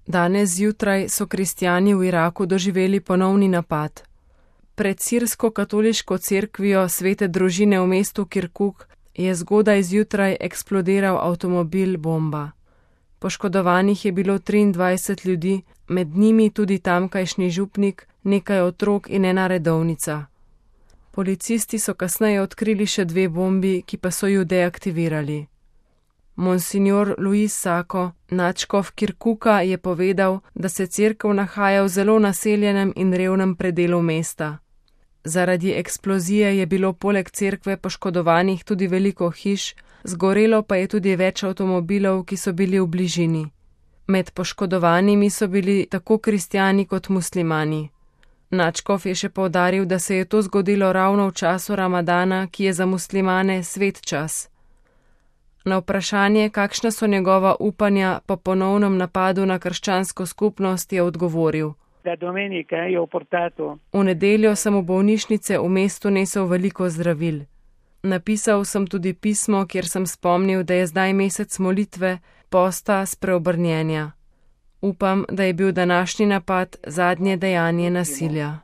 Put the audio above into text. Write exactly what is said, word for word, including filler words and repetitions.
Danes zjutraj so kristjani v Iraku doživeli ponovni napad. Pred sirsko-katoliško cerkvijo Svete družine v mestu Kirkuk je zgodaj zjutraj eksplodiral avtomobil bomba. Poškodovanih je bilo triindvajset ljudi, med njimi tudi tamkajšnji župnik, nekaj otrok in ena redovnica. Policisti so kasneje odkrili še dve bombi, ki pa so ju deaktivirali. Monsignor Luis Sako, nadškof Kirkuka, je povedal, da se cerkev nahaja v zelo naseljenem in revnem predelu mesta. Zaradi eksplozije je bilo poleg cerkve poškodovanih tudi veliko hiš, zgorelo pa je tudi več avtomobilov, ki so bili v bližini. Med poškodovanimi so bili tako kristjani kot muslimani. Nadškof je še poudaril, da se je to zgodilo ravno v času Ramadana, ki je za muslimane svet čas. Na vprašanje, kakšna so njegova upanja po ponovnem napadu na krščansko skupnost, je odgovoril: V nedeljo sem v bolnišnice v mestu nesel veliko zdravil. Napisal sem tudi pismo, kjer sem spomnil, da je zdaj mesec molitve, posta, spreobrnjenja. Upam, da je bil današnji napad zadnje dejanje nasilja.